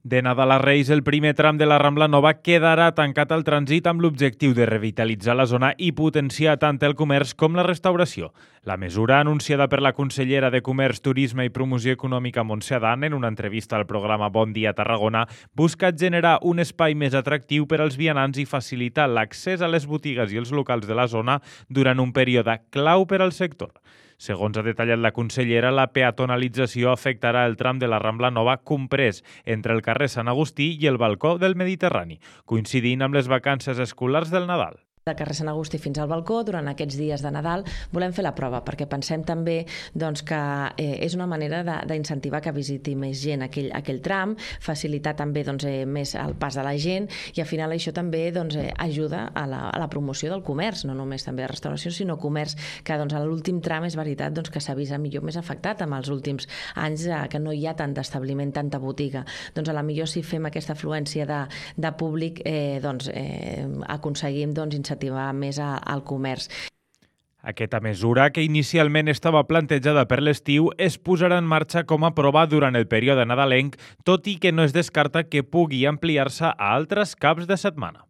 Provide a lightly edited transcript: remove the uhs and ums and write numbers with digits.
De Nadal a Reis, el primer tram de la Rambla Nova quedarà tancat al trànsit amb l'objectiu de revitalitzar la zona i potenciar tant el comerç com la restauració. La mesura, anunciada per la consellera de Comerç, Turisme i Promoció Econòmica Montse Adán en una entrevista al programa Bon Dia Tarragona, busca generar un espai més atractiu per als vianants i facilitar l'accés a les botigues i els locals de la zona durant un període clau per al sector. Segons ha detallat la consellera, la peatonalització afectarà el tram de la Rambla Nova comprès entre el carrer Sant Agustí i el balcó del Mediterrani, coincidint amb les vacances escolars del Nadal. Del carrer Sant Agustí fins al balcó, durant aquests dies de Nadal, volem fer la prova, perquè pensem també que és una manera d'incentivar que visiti més gent aquell tram, facilitar també més el pas de la gent i al final això també ajuda a la promoció del comerç, no només també de restauració, sinó comerç, que a l'últim tram és veritat que s'ha vist millor més afectat amb els últims anys, que no hi ha tant d'establiment, tanta botiga. A la millor si fem aquesta afluència de públic aconseguim incentivar més al comerç. Aquesta mesura, que inicialment estava plantejada per l'estiu, es posarà en marxa com a prova durant el període nadalenc, tot i que no es descarta que pugui ampliar-se a altres caps de setmana.